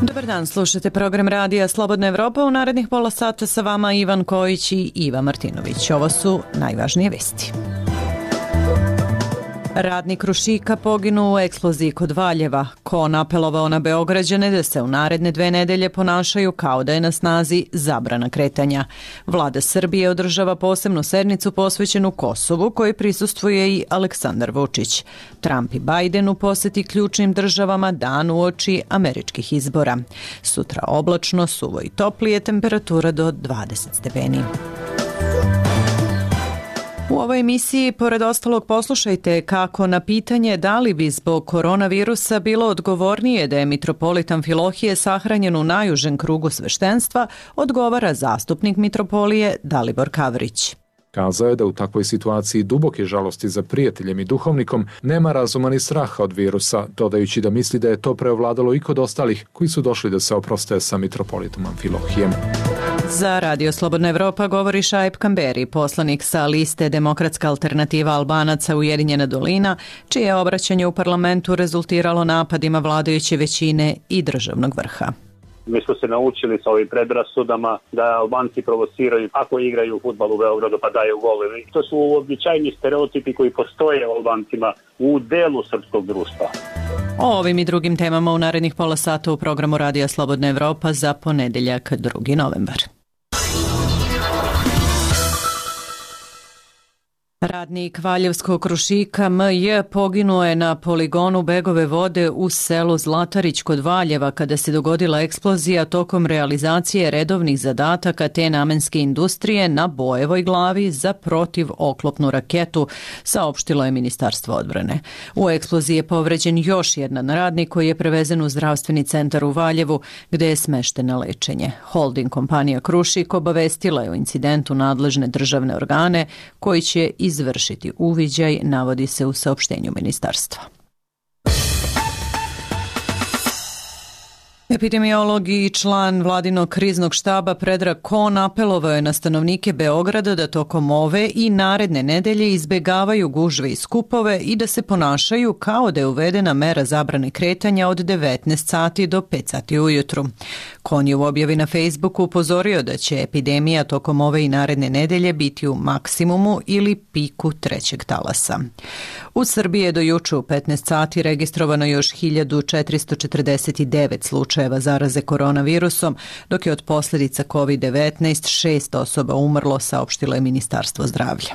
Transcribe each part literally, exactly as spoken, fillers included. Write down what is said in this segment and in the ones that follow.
Dobar dan, slušate program radija Slobodna Evropa. U narednih pola sata sa vama Ivan Kojić i Iva Martinović. Ovo su najvažnije vesti. Radnik Krušika poginuo u eksploziji kod Valjeva. Kon apelovao na Beograđane da se u naredne dve nedelje ponašaju kao da je na snazi zabrana kretanja. Vlada Srbije održava posebnu sednicu posvećenu Kosovu, kojoj prisustvuje i Aleksandar Vučić. Trump i Biden u poseti ključnim državama dan uoči američkih izbora. Sutra oblačno, suvo i toplije, temperatura do dvadeset stepeni. U ovoj emisiji, pored ostalog, poslušajte kako na pitanje da li bi zbog koronavirusa bilo odgovornije da je mitropolit Amfilohije sahranjen u najužem krugu sveštenstva, odgovara zastupnik mitropolije Dalibor Kavrić. Kazao je da u takvoj situaciji duboke žalosti za prijateljem i duhovnikom nema razuma ni straha od virusa, dodajući da misli da je to preovladalo i kod ostalih koji su došli da se oproste sa mitropolitom Amfilohijem. Za Radio Slobodna Evropa govori Šaip Kamberi, poslanik sa liste Demokratska alternativa Albanaca Ujedinjena dolina, čije je obraćanje u parlamentu rezultiralo napadima vladajuće većine i državnog vrha. Mi smo se naučili sa ovim predrasudama da Albanci provociraju ako igraju fudbal u Beogradu pa daju golove. To su uobičajeni stereotipi koji postoje u Albancima u delu srpskog društva. O ovim i drugim temama u narednih pola sata u programu Radija Slobodna Evropa za ponedeljak drugi novembar. Radnik Valjevskog Krušika M J poginuo je na poligonu Begove vode u selu Zlatarić kod Valjeva kada se dogodila eksplozija tokom realizacije redovnih zadataka te namenske industrije na Bojevoj glavi za protivoklopnu raketu, saopštilo je Ministarstvo odbrane. U eksploziji je povređen još jedan radnik koji je prevezen u zdravstveni centar u Valjevu gde je smešten na lečenje. Holding kompanija Krušik obavestila je o incidentu nadležne državne organe koji će izvršiti uviđaj, navodi se u saopštenju ministarstva. Epidemiolog i član vladinog kriznog štaba Predrag Kon apelovao je na stanovnike Beograda da tokom ove i naredne nedelje izbegavaju gužve i skupove i da se ponašaju kao da je uvedena mera zabrane kretanja od devetnaest sati do pet sati ujutru. Kon je u objavi na Facebooku upozorio da će epidemija tokom ove i naredne nedelje biti u maksimumu ili piku trećeg talasa. U Srbiji je do juče u petnaest sati registrovano još hiljadu četiristo četrdeset devet slučajeva zaraze koronavirusom, dok je od posljedica kovid devetnaest šest osoba umrlo, saopštilo je Ministarstvo zdravlja.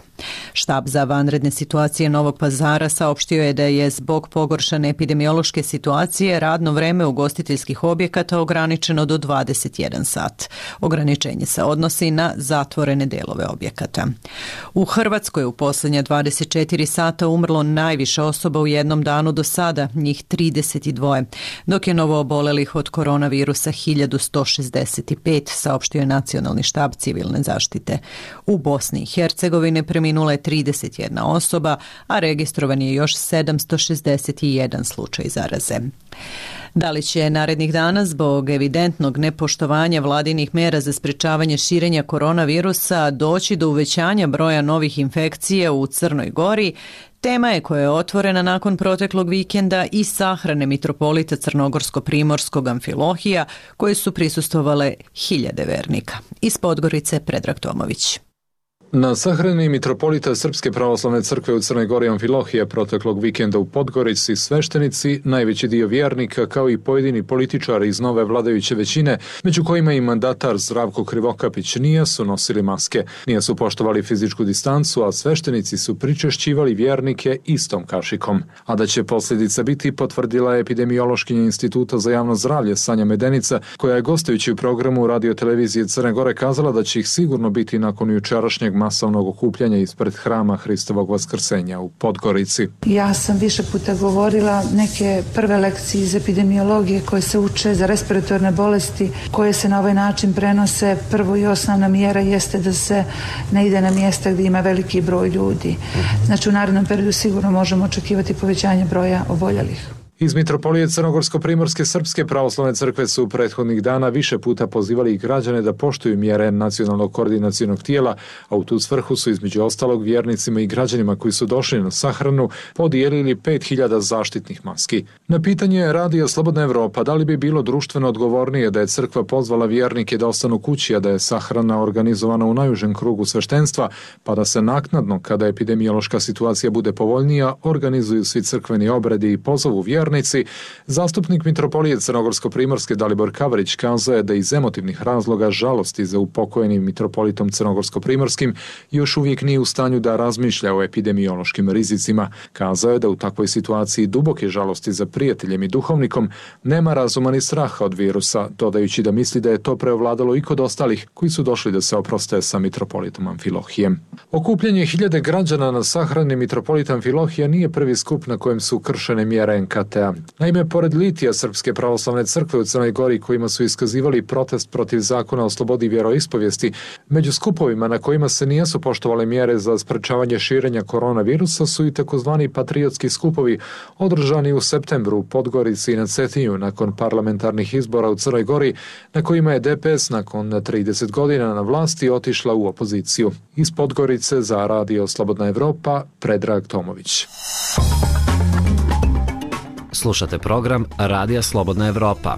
Štab za vanredne situacije Novog Pazara saopštio je da je zbog pogoršane epidemiološke situacije radno vreme ugostiteljskih objekata ograničeno do dvadeset jedan sat. Ograničenje se odnosi na zatvorene delove objekata. U Hrvatskoj u posljednja dvadeset četiri sata umrlo najviše osoba u jednom danu do sada, njih trideset dva, dok je novo obolelih od koronavirusa hiljadu sto šezdeset pet, saopštio je Nacionalni štab civilne zaštite. U Bosni i Hercegovini preminula je trideset jedna osoba, a registrovan je još sedamsto šezdeset jedan slučaj zaraze. Da li će narednih dana zbog evidentnog nepoštovanja vladinih mera za sprečavanje širenja koronavirusa doći do uvećanja broja novih infekcija u Crnoj Gori, tema je koja je otvorena nakon proteklog vikenda i sahrane mitropolita Crnogorsko-Primorskog Amfilohija, koje su prisustvovale hiljade vernika. Iz Podgorice Predrag Tomović. Na sahrani mitropolita Srpske pravoslavne crkve u Crnoj Gori Amfilohije proteklog vikenda u Podgorici sveštenici, najveći dio vjernika kao i pojedini političari iz nove vladajuće većine, među kojima i mandatar Zdravko Krivokapić, nije su nosili maske, nije su poštovali fizičku distancu, a sveštenici su pričešćivali vjernike istom kašikom. A da će posljedica biti, potvrdila je epidemiološkinja Instituta za javno zdravlje Sanja Medenica, koja je gostujući u programu radio televizije Crne Gore kazala da će ih sigurno biti nakon jučerašnjeg masovnog okupljanja ispred hrama Hristovog vaskrsenja u Podgorici. Ja sam više puta govorila neke prve lekcije iz epidemiologije koje se uče za respiratorne bolesti koje se na ovaj način prenose. Prvo i osnovna mjera jeste da se ne ide na mjesta gdje ima veliki broj ljudi. Znači u narednom periodu sigurno možemo očekivati povećanje broja oboljelih. Iz Mitropolije Crnogorsko-primorske Srpske pravoslavne crkve su prethodnih dana više puta pozivali građane da poštuju mjere nacionalnog koordinacionog tijela, a u tu svrhu su između ostalog vjernicima i građanima koji su došli na sahranu podijelili pet hiljada zaštitnih maski. Na pitanje Radija Slobodna Evropa da li bi bilo društveno odgovornije da je crkva pozvala vjernike da ostanu kući, a da je sahrana organizovana u najužem krugu sveštenstva, pa da se naknadno, kada epidemiološka situacija bude povoljnija, organizuju svi crkveni obredi i pozovu vjernici, zastupnik Mitropolije Crnogorsko-primorske Dalibor Kavrić kazao je da iz emotivnih razloga žalosti za upokojenim mitropolitom Crnogorsko-primorskim još uvijek nije u stanju da razmišlja o epidemiološkim rizicima. Kazao je da u takvoj situaciji duboke žalosti za prijateljem i duhovnikom nema razuma ni straha od virusa, dodajući da misli da je to preovladalo i kod ostalih koji su došli da se oproste sa mitropolitom Amfilohijem. Okupljanje hiljade građana na sahrani mitropolita Amfilohija nije prvi skup na kojem su kršene mjere en ka te a. Naime, pored litija Srpske pravoslavne crkve u Crnoj Gori kojima su iskazivali protest protiv zakona o slobodi vjeroispovijesti, među skupovima na kojima se nijesu poštovale mjere za sprečavanje širenja koronavirusa su i takozvani patriotski skupovi održani u septembru u Podgorici i na Cetinju nakon parlamentarnih izbora u Crnoj Gori, na kojima je de pe es nakon trideset godina na vlasti otišla u opoziciju. Iz Podgorice za Radio Slobodna Evropa, Predrag Tomović. Slušate program Radija Slobodna Evropa.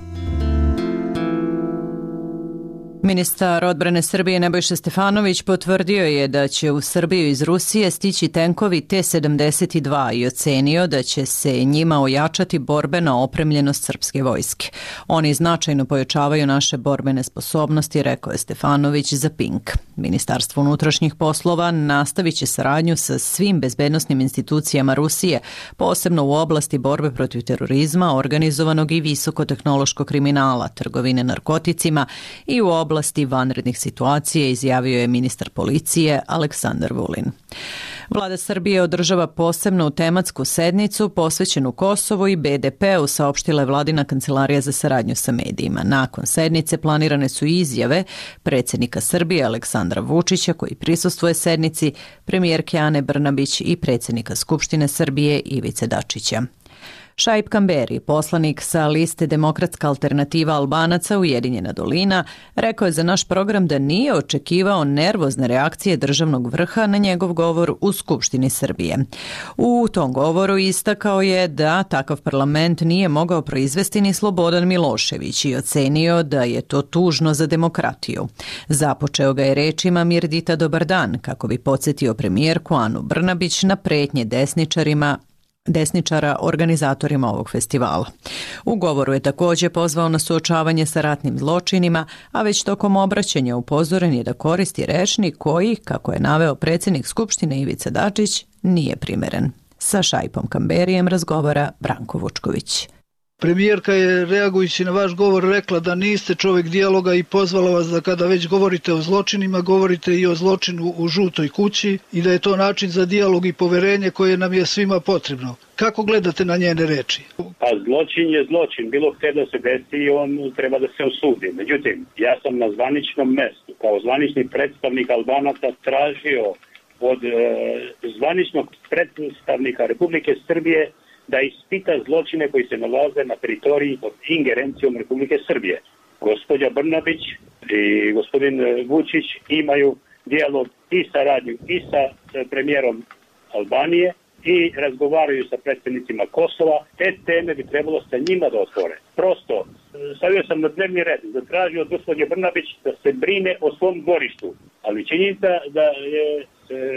Ministar odbrane Srbije Nebojša Stefanović potvrdio je da će u Srbiju iz Rusije stići tenkovi te sedamdeset dva i ocenio da će se njima ojačati borbena opremljenost srpske vojske. Oni značajno pojačavaju naše borbene sposobnosti, rekao je Stefanović za Pink. Ministarstvo unutrašnjih poslova nastavit će saradnju sa svim bezbednosnim institucijama Rusije, posebno u oblasti borbe protiv terorizma, organizovanog i visokotehnološkog kriminala, trgovine narkoticima i u oblasti oblasti vanrednih situacija, izjavio je ministar policije Aleksandar Vulin. Vlada Srbije održava posebnu tematsku sednicu posvećenu Kosovu i be de pe-u, saopštila je vladina kancelarija za saradnju sa medijima. Nakon sednice planirane su izjave predsjednika Srbije Aleksandra Vučića, koji prisustvuje sednici, premijerke Ane Brnabić i predsjednika Skupštine Srbije Ivice Dačića. Šaip Kamberi, poslanik sa liste Demokratska alternativa Albanaca Ujedinjena dolina, rekao je za naš program da nije očekivao nervozne reakcije državnog vrha na njegov govor u Skupštini Srbije. U tom govoru istakao je da takav parlament nije mogao proizvesti ni Slobodan Milošević i ocenio da je to tužno za demokratiju. Započeo ga je rečima Mirdita dobar dan, kako bi podsjetio premijerku Anu Brnabić na pretnje desničarima desničara organizatorima ovog festivala. U govoru je također pozvao na suočavanje sa ratnim zločinima, a već tokom obraćanja upozoren je da koristi rečnik koji, kako je naveo predsjednik Skupštine Ivica Dačić, nije primeren. Sa Šaipom Kamberijem razgovara Branko Vučković. Premijerka je, reagujući na vaš govor, rekla da niste čovjek dijaloga i pozvala vas da kada već govorite o zločinima, govorite i o zločinu u žutoj kući i da je to način za dijalog i poverenje koje nam je svima potrebno. Kako gledate na njene reči? Pa zločin je zločin. Bilo gdje da se desi i on treba da se osudi. Međutim, ja sam na zvaničnom mjestu, kao zvanični predstavnik Albanaca, tražio od e, zvaničnog predstavnika Republike Srbije da ispita zločine koji se nalaze na teritoriji pod ingerencijom Republike Srbije. Gospođa Brnabić i gospodin Vučić imaju dijalog i saradnju i sa premijerom Albanije i razgovaraju sa predstavnicima Kosova. Te teme bi trebalo sa njima da otvore. Prosto, stavio sam na dnevni red, zatražio od gospođe Brnabić da se brine o svom dvorištu. Ali činjenica da je e,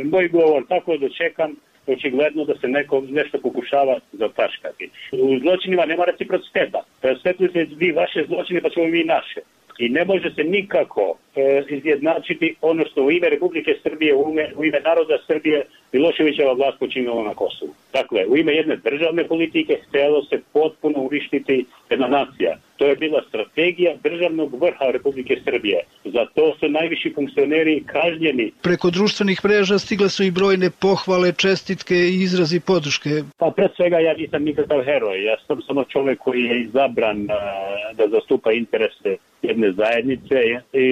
moj govor tako dočekan, očigledno da se neko nešto pokušava zataškati. U zločinima nema reciprociteta. Presvetljujte vi vaše zločine, pa ćemo mi naše. I ne može se nikako e, izjednačiti ono što u ime Republike Srbije, u ime, u ime naroda Srbije Miloševićeva vlast počinila na Kosovu. Dakle, u ime jedne državne politike htjelo se potpuno uništiti jedna nacija. To je bila strategija državnog vrha Republike Srbije. Za to su najviši funkcioneri kažnjeni. Preko društvenih mreža stigle su i brojne pohvale, čestitke i izrazi podrške. Pa pred svega ja nisam nikakav heroj. Ja sam samo čovjek koji je izabran a, da zastupa interese jedne zajednice i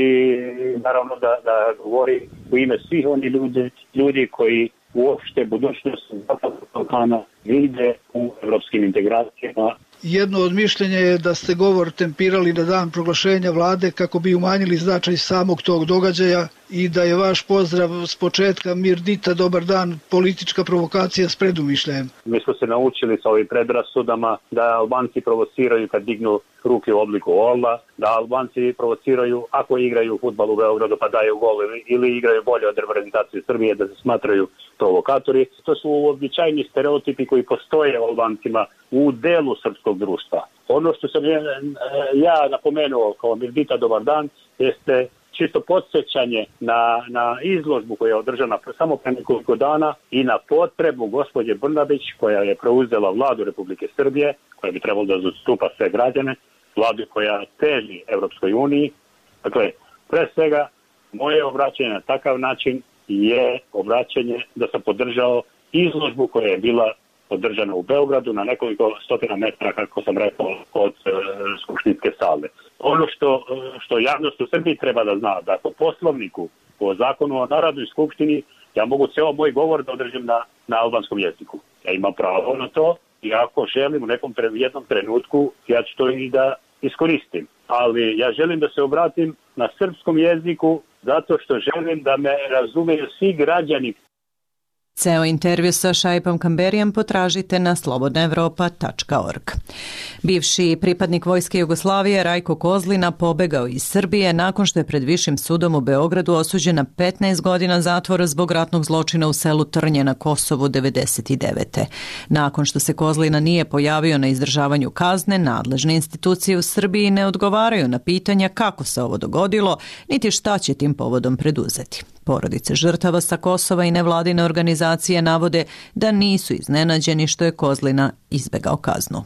naravno da, da govori u ime svih oni ljudi, ljudi koji uopšte budućnost Zapadnog Balkana vide u evropskim integracijama. Jedno od mišljenja je da ste govor tempirali na dan proglašenja vlade kako bi umanjili značaj samog tog događaja i da je vaš pozdrav s početka Mirdita, dobar dan, politička provokacija s predumišljajem. Mi smo se naučili sa ovim predrasudama da Albanci provociraju kad dignu ruke u obliku ola, da Albanci provociraju ako igraju fudbal u Beogradu pa daju gol ili igraju bolje od reprezentacije Srbije, da se smatraju provokatori. To su uobičajeni stereotipi koji postoje u Albancima u delu srpskog društva. Ono što sam ja napomenuo kao Mirdita, dobar dan, jeste čisto podsjećanje na, na izložbu koja je održana samo pre nekoliko dana i na potrebu gospođe Brnabić koja je preuzela vladu Republike Srbije, koja bi trebalo da zastupa sve građane, vladu koja teži Evropskoj uniji. Dakle, pre svega, moje obraćanje na takav način je obraćanje da sam podržao izložbu koja je bila održana u Beogradu na nekoliko stotina metara, kako sam rekao, od e, skupštinske sale. Ono što, što javnost u Srbiji treba da zna, da po poslovniku, po zakonu o Narodnoj skupštini, ja mogu ceo moj govor da održim na, na albanskom jeziku. Ja imam pravo na to i ako želim u nekom tre, jednom trenutku, ja ću to i da iskoristim. Ali ja želim da se obratim na srpskom jeziku zato što želim da me razumeju svi građani. Ceo intervju sa Šaipom Kamberijem potražite na slobodna evropa tačka org. Bivši pripadnik Vojske Jugoslavije Rajko Kozlina pobegao iz Srbije nakon što je pred Višim sudom u Beogradu osuđen na petnaest godina zatvora zbog ratnog zločina u selu Trnje na Kosovu devedeset devete. Nakon što se Kozlina nije pojavio na izdržavanju kazne, nadležne institucije u Srbiji ne odgovaraju na pitanja kako se ovo dogodilo, niti šta će tim povodom preduzeti. Porodice žrtava sa Kosova i nevladine organizacije navode da nisu iznenađeni što je Kozlina izbegao kaznu.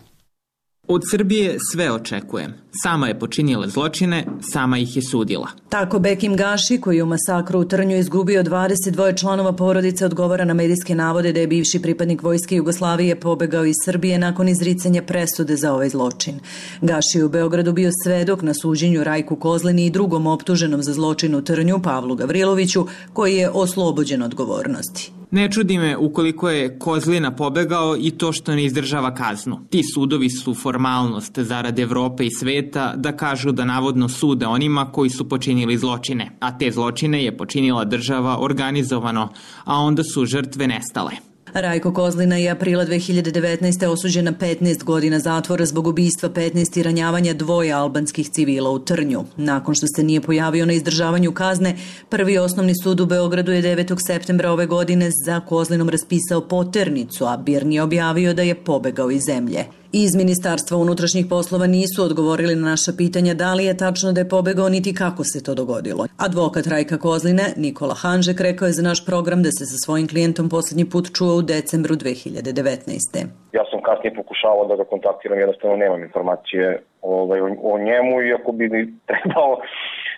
Od Srbije sve očekujem. Sama je počinila zločine, sama ih je sudila. Tako Bekim Gaši, koji je u masakru u Trnju izgubio dvadeset dva članova porodice, odgovara na medijske navode da je bivši pripadnik Vojske Jugoslavije pobegao iz Srbije nakon izricanja presude za ovaj zločin. Gaši je u Beogradu bio svedok na suđenju Rajku Kozlini i drugom optuženom za zločin u Trnju, Pavlu Gavriloviću, koji je oslobođen odgovornosti. Ne čudi me ukoliko je Kozlina pobegao i to što ne izdržava kaznu. Ti sudovi su formalnost zarad Evrope i sveta da kažu da navodno sude onima koji su počinili zločine, a te zločine je počinila država organizovano, a onda su žrtve nestale. Rajko Kozlina je aprila dve hiljade devetnaeste. osuđen na petnaest godina zatvora zbog ubistva petnaest i ranjavanja dvoje albanskih civila u Trnju. Nakon što se nije pojavio na izdržavanju kazne, Prvi osnovni sud u Beogradu je devetog septembra ove godine za Kozlinom raspisao poternicu, a BIRN je objavio da je pobegao iz zemlje. Iz Ministarstva unutrašnjih poslova nisu odgovorili na naša pitanja da li je tačno da je pobegao niti kako se to dogodilo. Advokat Rajka Kozline, Nikola Hanžek, rekao je za naš program da se sa svojim klijentom posljednji put čuo u decembru dve hiljade devetnaeste. Ja sam kasnije pokušavao da ga kontaktiram, jednostavno nemam informacije ovaj, o, o njemu, iako bi mi trebao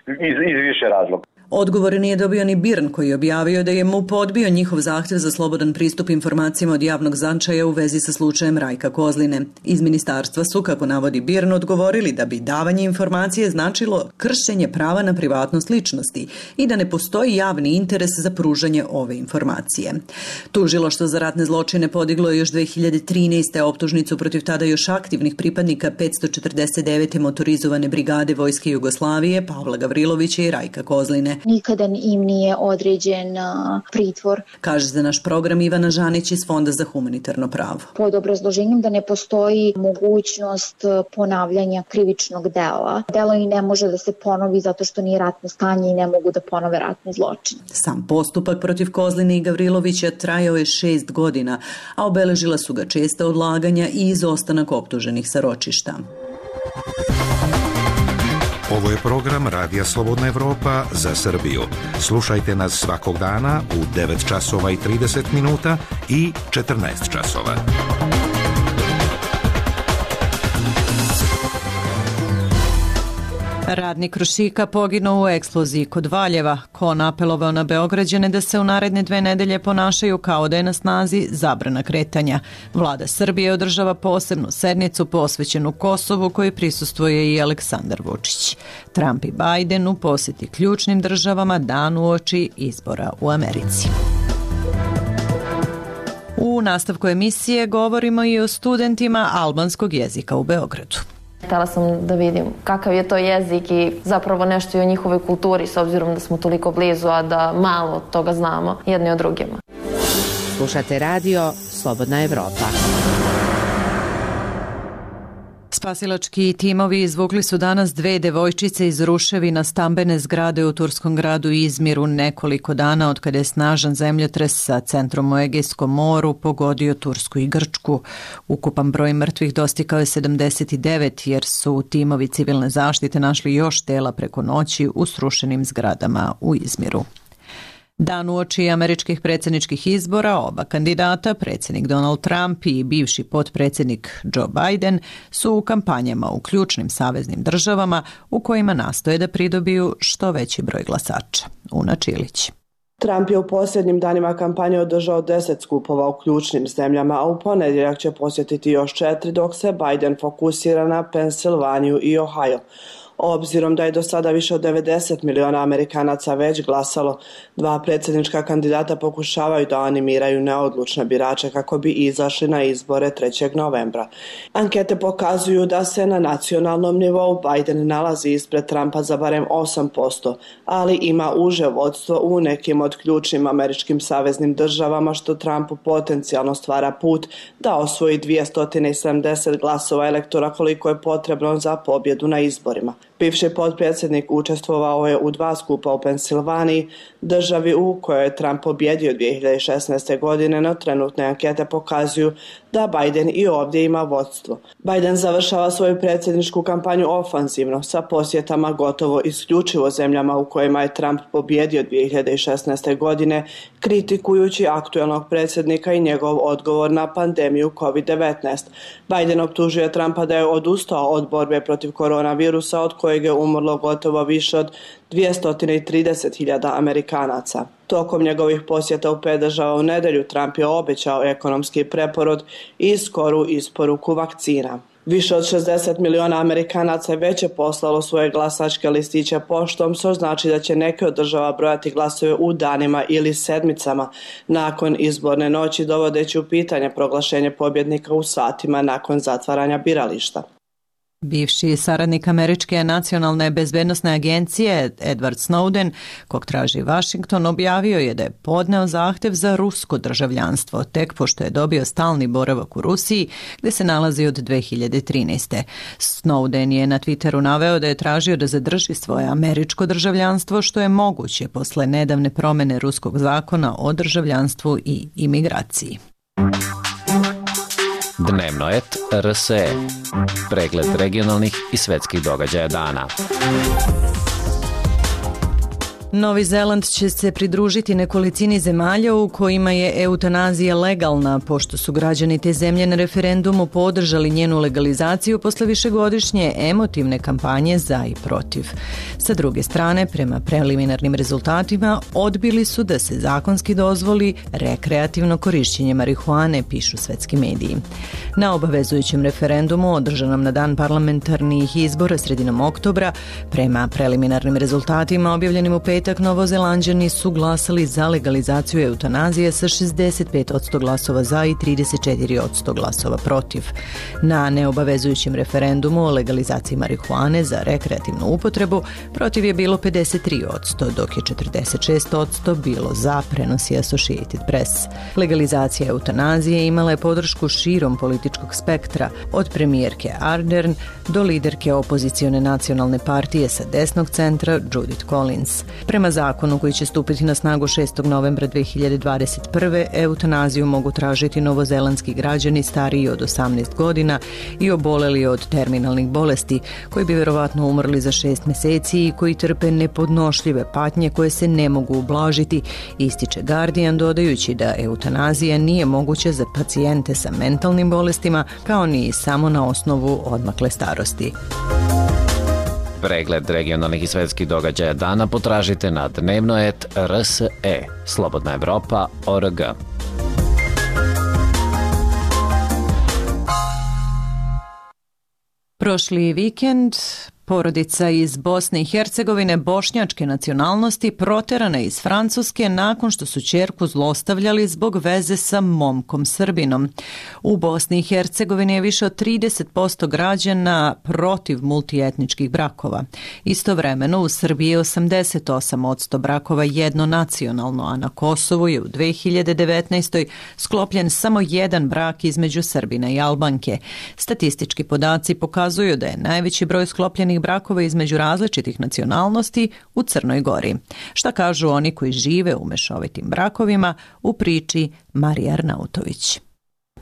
iz, iz više razloga. Odgovor nije dobio ni BIRN, koji je objavio da je MUP odbio njihov zahtjev za slobodan pristup informacijama od javnog značaja u vezi sa slučajem Rajka Kozline. Iz ministarstva su, kako navodi BIRN, odgovorili da bi davanje informacije značilo kršenje prava na privatnost ličnosti i da ne postoji javni interes za pružanje ove informacije. Tužilaštvo za ratne zločine podiglo je još dve hiljade trinaeste. optužnicu protiv tada još aktivnih pripadnika petsto četrdeset devete. motorizovane brigade Vojske Jugoslavije, Pavla Gavrilovića i Rajka Kozline. Nikada im nije određen pritvor. Kaže za naš program Ivana Žanić iz Fonda za humanitarno pravo. Pod obrazloženjem da ne postoji mogućnost ponavljanja krivičnog dela. Delo i ne može da se ponovi zato što nije ratno stanje i ne mogu da ponove ratni zločin. Sam postupak protiv Kozline i Gavrilovića trajao je šest godina, a obeležila su ga česta odlaganja i izostanak optuženih sa ročišta. Ovo je program Radija Slobodna Evropa za Srbiju. Slušajte nas svakog dana u devet časova i trideset minuta i četrnaest časova. Radnik Krušika poginuo u eksploziji kod Valjeva. Kon apelovao na Beograđane da se u naredne dve nedelje ponašaju kao da je na snazi zabrana kretanja. Vlada Srbije održava posebnu sednicu posvećenu Kosovu kojoj prisustvuje i Aleksandar Vučić. Trump i Biden u posjeti ključnim državama dan uoči izbora u Americi. U nastavku emisije govorimo i o studentima albanskog jezika u Beogradu. Htela sam da vidim kakav je to jezik i zapravo nešto i o njihovoj kulturi, s obzirom da smo toliko blizu, a da malo toga znamo jedni o drugima. Slušate radio Slobodna Evropa. Spasilački timovi izvukli su danas dve devojčice iz ruševina stambene zgrade u turskom gradu Izmiru nekoliko dana od kada je snažan zemljotres sa centrom u Egejskom moru pogodio Tursku i Grčku. Ukupan broj mrtvih dostigao je sedamdeset devet jer su timovi civilne zaštite našli još tela preko noći u srušenim zgradama u Izmiru. Dan uoči američkih predsjedničkih izbora oba kandidata, predsjednik Donald Trump i bivši potpredsjednik Joe Biden, su u kampanjama u ključnim saveznim državama u kojima nastoje da pridobiju što veći broj glasača. Una Čilić. Trump je u posljednjim danima kampanje održao deset skupova u ključnim zemljama, a u ponedjeljak će posjetiti još četiri, dok se Biden fokusira na Pensilvaniju i Ohio. Obzirom da je do sada više od devedeset miliona Amerikanaca već glasalo, dva predsjednička kandidata pokušavaju da animiraju neodlučne birače kako bi izašli na izbore trećeg novembra. Ankete pokazuju da se na nacionalnom nivou Biden nalazi ispred Trumpa za barem osam posto, ali ima uže vodstvo u nekim od ključnim američkim saveznim državama, što Trumpu potencijalno stvara put da osvoji dvjesto sedamdeset glasova elektora koliko je potrebno za pobjedu na izborima. Bivši potpredsjednik učestvovao je u dva skupa u Pensilvaniji, državi u kojoj je Trump pobjedio dvije hiljade šesnaeste. godine, no trenutne ankete pokazuju da Biden i ovdje ima vodstvo. Biden završava svoju predsjedničku kampanju ofanzivno sa posjetama gotovo isključivo zemljama u kojima je Trump pobjedio dvije hiljade šesnaeste. godine, kritikujući aktuelnog predsjednika i njegov odgovor na pandemiju kovid devetnaest. Biden optužuje Trumpa da je odustao od borbe protiv koronavirusa, od kojeg je umrlo gotovo više od dvjesto trideset hiljada Amerikanaca. Tokom njegovih posjeta u pet država u nedjelju Trump je obećao ekonomski preporod i skoru isporuku vakcina. Više od šezdeset miliona Amerikanaca već je poslalo svoje glasačke listiće poštom, što znači da će neke od država brojati glasove u danima ili sedmicama nakon izborne noći, dovodeći u pitanje proglašenje pobjednika u satima nakon zatvaranja birališta. Bivši saradnik Američke nacionalne bezbednosne agencije Edward Snowden, kog traži Washington, objavio je da je podneo zahtev za rusko državljanstvo, tek pošto je dobio stalni boravak u Rusiji, gde se nalazi od dve hiljade trinaeste. Snowden je na Twitteru naveo da je tražio da zadrži svoje američko državljanstvo, što je moguće posle nedavne promene ruskog zakona o državljanstvu i imigraciji. Dnevnoet R S E. Pregled regionalnih i svetskih događaja dana. Novi Zeland će se pridružiti nekolicini zemalja u kojima je eutanazija legalna, pošto su građani te zemlje na referendumu podržali njenu legalizaciju posle višegodišnje emotivne kampanje za i protiv. Sa druge strane, prema preliminarnim rezultatima, odbili su da se zakonski dozvoli rekreativno korišćenje marihuane, pišu svetski mediji. Na obavezujućem referendumu, održanom na dan parlamentarnih izbora sredinom oktobra, prema preliminarnim rezultatima objavljenim u petak, Novozelanđani su glasali za legalizaciju eutanazije sa šezdeset pet posto glasova za i trideset četiri posto glasova protiv. Na neobavezujućem referendumu o legalizaciji marihuane za rekreativnu upotrebu protiv je bilo pedeset tri posto, dok je četrdeset šest posto bilo za, prenosi Associated Press. Legalizacija eutanazije imala je podršku širom političkog spektra, od premijerke Ardern do liderke opozicione nacionalne partije sa desnog centra Judith Collins. Prema zakonu koji će stupiti na snagu šestog novembra dve hiljade dvadeset prve. eutanaziju mogu tražiti novozelandski građani stariji od osamnaest godina i oboleli od terminalnih bolesti, koji bi vjerovatno umrli za šest mjeseci i koji trpe nepodnošljive patnje koje se ne mogu ublažiti, ističe Guardian, dodajući da eutanazija nije moguća za pacijente sa mentalnim bolestima, kao ni samo na osnovu odmakle starosti. Pregled regionalnih i svetskih događaja dana potražite na dnevnoet R S E, Slobodna Evropa, O R G. Prošli vikend Porodica iz Bosne i Hercegovine bošnjačke nacionalnosti proterana iz Francuske nakon što su ćerku zlostavljali zbog veze sa momkom Srbinom. U Bosni i Hercegovini je više od trideset posto građana protiv multietničkih brakova. Istovremeno u Srbiji je osamdeset osam posto brakova jednonacionalno, a na Kosovu je u dve hiljade devetnaestoj. sklopljen samo jedan brak između Srbina i Albanke. Statistički podaci pokazuju da je najveći broj sklopljenih brakova između različitih nacionalnosti u Crnoj Gori. Šta kažu oni koji žive u mešovitim brakovima, u priči Marija Arnautović.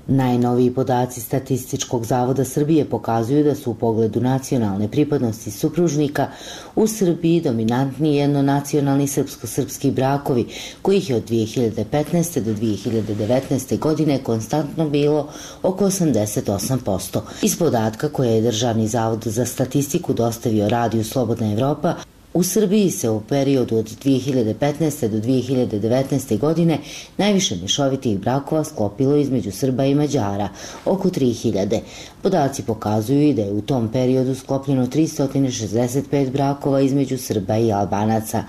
Najnoviji podaci Statističkog zavoda Srbije pokazuju da su u pogledu nacionalne pripadnosti supružnika u Srbiji dominantni jednonacionalni srpsko-srpski brakovi, kojih je od dve hiljade petnaeste. do dve hiljade devetnaeste. godine konstantno bilo oko osamdeset osam posto. Iz podatka koje je Državni zavod za statistiku dostavio Radiju Slobodna Evropa, u Srbiji se u periodu od dve hiljade petnaeste. do dve hiljade devetnaeste. godine najviše mješovitih brakova sklopilo između Srba i Mađara, oko tri hiljade. Podaci pokazuju i da je u tom periodu sklopljeno tristo šezdeset pet brakova između Srba i Albanaca.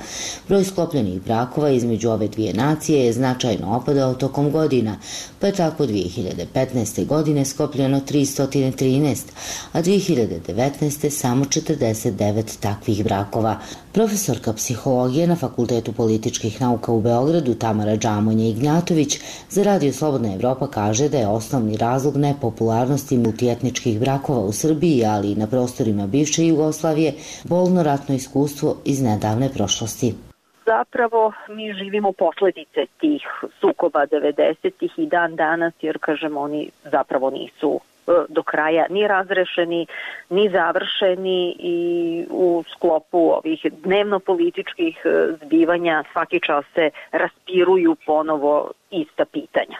Broj sklopljenih brakova između ove dvije nacije je značajno opadao tokom godina, pa je tako dve hiljade petnaeste. godine sklopljeno tristo trinaest, a dve hiljade devetnaeste. samo četrdeset devet takvih brakova. Profesorka psihologije na Fakultetu političkih nauka u Beogradu Tamara Džamonja-Ignjatović za Radio Slobodna Evropa kaže da je osnovni razlog nepopularnosti multietničkih brakova u Srbiji, ali i na prostorima bivše Jugoslavije, bolno ratno iskustvo iz nedavne prošlosti. Zapravo mi živimo posledice tih sukoba devedesetih i dan danas, jer kažem oni zapravo nisu do kraja ni razrešeni, ni završeni i u sklopu ovih dnevno-političkih zbivanja svaki čas se raspiruju ponovo ista pitanja.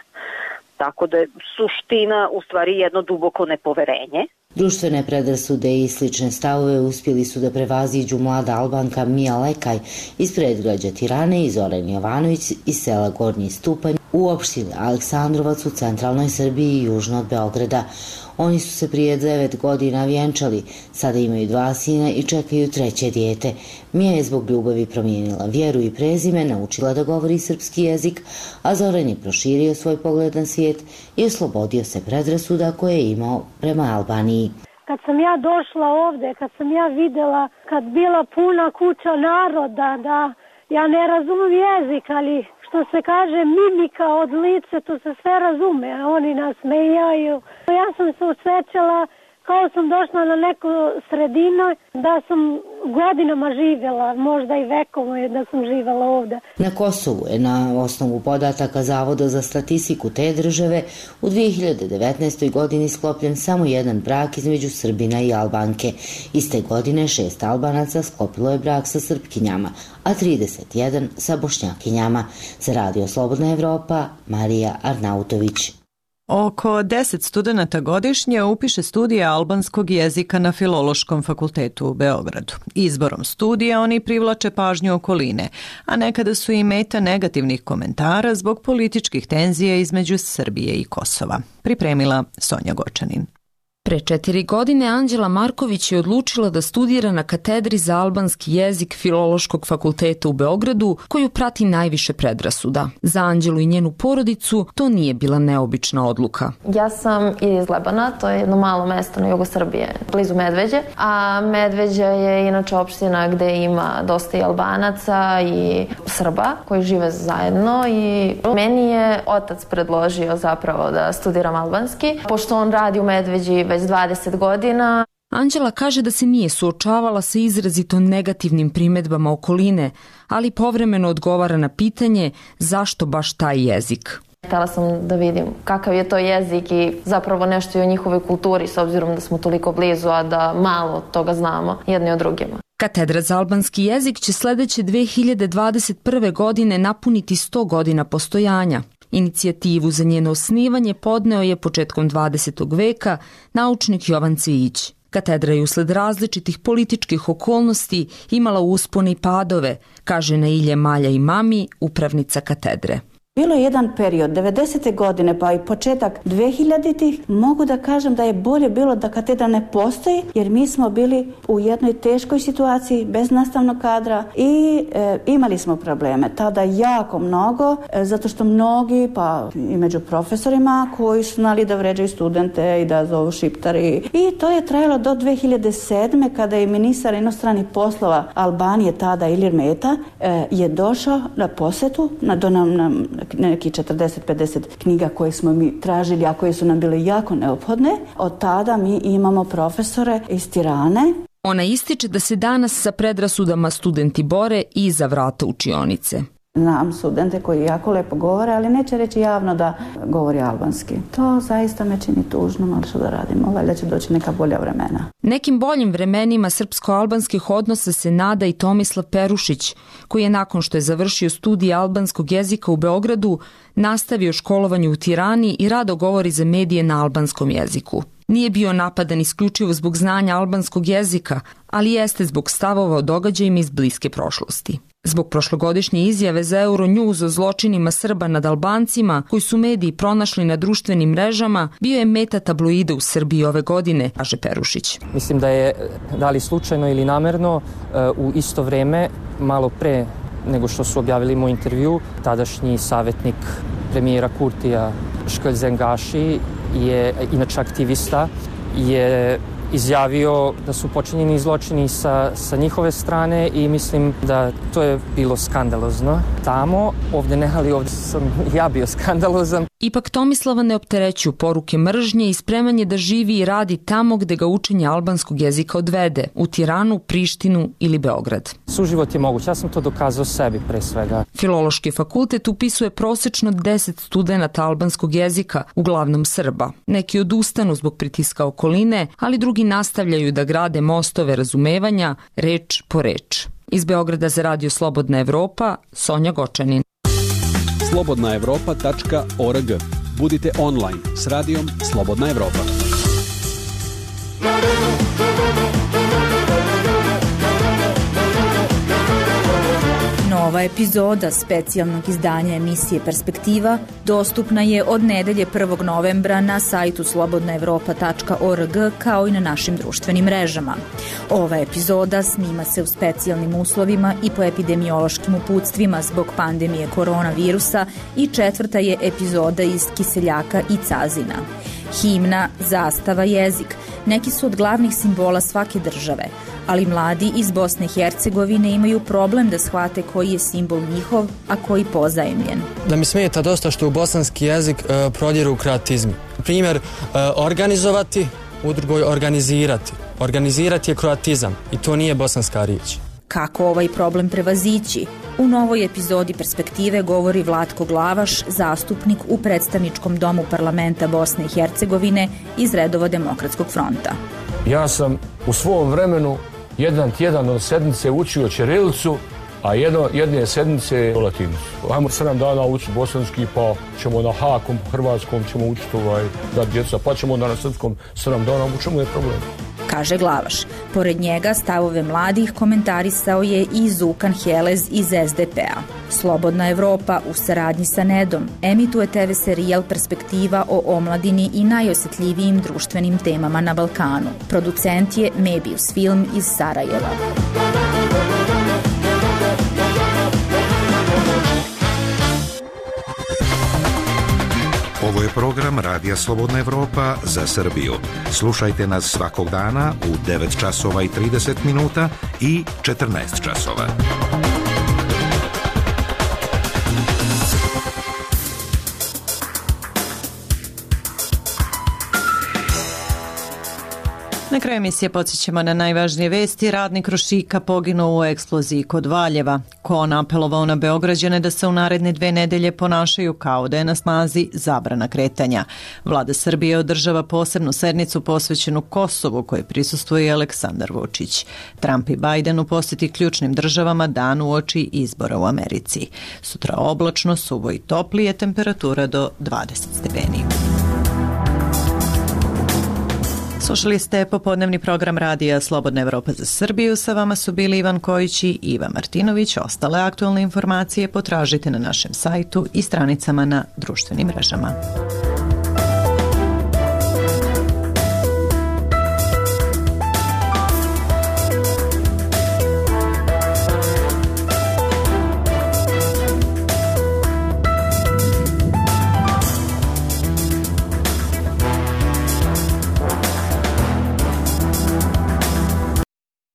Tako da je suština u stvari jedno duboko nepoverenje. Društvene predrasude i slične stavove uspjeli su da prevaziđu mlada Albanka Mija Lekaj iz predgrađa Tirane i Zoran Jovanović iz sela Gornji Stupanj u opštini Aleksandrovac u centralnoj Srbiji i južno od Beograda. Oni su se prije devet godina vjenčali, sada imaju dva sina i čekaju treće dijete. Mija je zbog ljubavi promijenila vjeru i prezime, naučila da govori srpski jezik, a Zoran je proširio svoj pogled na svijet i oslobodio se predrasuda koje je imao prema Albaniji. Kad sam ja došla ovdje, kad sam ja vidjela, kad bila puna kuća naroda, da ja ne razumijem jezik, ali što se kaže mimika od lice, to se sve razume, a oni nas smejaju. Ja sam se osjećala kao sam došla na neku sredinu, da sam godinama živjela, možda i vekovo je da sam živjela ovdje. Na Kosovu je na osnovu podataka Zavoda za statistiku te države u dve hiljade devetnaestoj. godini sklopljen samo jedan brak između Srbina i Albanke. Iste godine šest Albanaca sklopilo je brak sa Srpkinjama, a trideset jedan sa Bošnjakinjama. Za Radio Slobodna Evropa, Marija Arnautović. Oko deset studenata godišnje upiše studije albanskog jezika na Filološkom fakultetu u Beogradu. Izborom studija oni privlače pažnju okoline, a nekada su i meta negativnih komentara zbog političkih tenzija između Srbije i Kosova. Pripremila Sonja Gočanin. Pre četiri godine Anđela Marković je odlučila da studira na katedri za albanski jezik Filološkog fakulteta u Beogradu, koju prati najviše predrasuda. Za Anđelu i njenu porodicu to nije bila neobična odluka. Ja sam iz Lebana, to je jedno malo mesto na jugu Srbije, blizu Medveđe, a Medveđa je inače opština gde ima dosta i Albanaca i Srba koji žive zajedno i meni je otac predložio zapravo da studiram albanski, pošto on radi u Medveđi već dvadeset godina. Anđela kaže da se nije suočavala sa izrazito negativnim primedbama okoline, ali povremeno odgovara na pitanje zašto baš taj jezik. Htela sam da vidim kakav je to jezik i zapravo nešto i o njihovoj kulturi, s obzirom da smo toliko blizu, a da malo toga znamo jedni o drugima. Katedra za albanski jezik će sledeće dve hiljade dvadeset prve. godine napuniti sto godina postojanja. Inicijativu za njeno osnivanje podneo je početkom dvadesetog veka naučnik Jovan Cvijić. Katedra je usled različitih političkih okolnosti imala uspone i padove, kaže Nailje Malja i Mami, upravnica katedre. Bilo je jedan period, devedesete godine pa i početak dvehiljaditih, mogu da kažem da je bolje bilo da katedra ne postoji, jer mi smo bili u jednoj teškoj situaciji, bez nastavnog kadra i e, imali smo probleme. Tada jako mnogo, e, zato što mnogi, pa i među profesorima, koji su znali da vređaju studente i da zovu šiptari. I to je trajalo do dve hiljade sedme kada je ministar inostranih poslova Albanije, tada Ilir Meta, e, je došao na posetu, na, do nam, nam neki četrdeset pedeset knjiga koje smo mi tražili, a koje su nam bile jako neophodne. Od tada mi imamo profesore iz Tirane. Ona ističe da se danas sa predrasudama studenti bore i za vrata učionice. Znam studente koji jako lepo govore, ali neće reći javno da govori albanski. To zaista me čini tužno, ali što da radimo, valjda će doći neka bolja vremena. Nekim boljim vremenima srpsko-albanskih odnosa se nada i Tomislav Perušić, koji je nakon što je završio studije albanskog jezika u Beogradu, nastavio školovanje u Tirani i rado govori za medije na albanskom jeziku. Nije bio napadan isključivo zbog znanja albanskog jezika, ali jeste zbog stavova o događajima iz bliske prošlosti. Zbog prošlogodišnje izjave za Euronews o zločinima Srba nad Albancima, koji su mediji pronašli na društvenim mrežama, bio je meta tabloida u Srbiji ove godine, kaže Perušić. Mislim da je, da li slučajno ili namerno, u isto vreme, malo pre nego što su objavili moj intervju, tadašnji savjetnik premijera Kurtija Škelj Zengaši je inače aktivista, je izjavio da su počinjeni zločini sa, sa njihove strane i mislim da to je bilo skandalozno tamo, ovdje ne, ali ovdje sam ja bio skandalozan. Ipak Tomislava ne opterećuju poruke mržnje i spremanje da živi i radi tamo gde ga učenje albanskog jezika odvede, u Tiranu, Prištinu ili Beograd. Suživot je moguć, ja sam to dokazao sebi pre svega. Filološki fakultet upisuje prosečno deset studenata albanskog jezika, uglavnom Srba. Neki odustanu zbog pritiska okoline, ali drugi nastavljaju da grade mostove razumevanja, reč po reč. Iz Beograda za Radio Slobodna Evropa, Sonja Gočanin. slobodna evropa tačka org. Budite online s radijom Slobodna Evropa. Nova epizoda specijalnog izdanja emisije Perspektiva dostupna je od nedelje prvog novembra na sajtu slobodna evropa tačka org kao i na našim društvenim mrežama. Ova epizoda snima se u specijalnim uslovima i po epidemiološkim uputstvima zbog pandemije koronavirusa i četvrta je epizoda iz Kiseljaka i Cazina. Himna, zastava, jezik neki su od glavnih simbola svake države, ali mladi iz Bosne i Hercegovine imaju problem da shvate koji je simbol njihov, a koji pozajemljen. Da mi smeta dosta što u bosanski jezik e, prodiru kroatizmi. Primjer, e, organizovati, u drugoj organizirati. Organizirati je kroatizam i to nije bosanska riječ. Kako ovaj problem prevazići? U novoj epizodi Perspektive govori Vlatko Glavaš, zastupnik u predstavničkom domu parlamenta Bosne i Hercegovine iz redova Demokratskog fronta. Ja sam u svom vremenu jedan tjedan od sedmice učio ćirilicu, a jedno, jedne sedmice latinicu. Ajmo sedam dana učiti bosanski, pa ćemo na hakom, hrvatskom ćemo učiti ovaj, da djeca, pa ćemo na srpskom sedam dana, u čemu je problem? Kaže Glavaš. Pored njega stavove mladih komentarisao je i Zukan Helez iz es de pe a. Slobodna Evropa u saradnji sa Nedom emituje te ve serijal Perspektiva o omladini i najosjetljivijim društvenim temama na Balkanu. Producent je Mebius Film iz Sarajeva. Ovo je program Radija Slobodna Evropa za Srbiju. Slušajte nas svakog dana u devet časova i trideset minuta i četrnaest časova. Na kraju emisije podsjećamo na najvažnije vesti. Radnik Krušika poginuo u eksploziji kod Valjeva. Kon apelovao na Beograđane da se u naredne dve nedelje ponašaju kao da je na snazi zabrana kretanja. Vlada Srbije održava posebnu sednicu posvećenu Kosovu kojoj prisustvuje Aleksandar Vučić. Trump i Biden u posjeti ključnim državama dan uoči izbora u Americi. Sutra oblačno, suvo i toplije, temperatura do dvadeset stepeni. Slušali ste popodnevni program radija Slobodna Evropa za Srbiju. Sa vama su bili Ivan Kojić i Iva Martinović. Ostale aktualne informacije potražite na našem sajtu i stranicama na društvenim mrežama.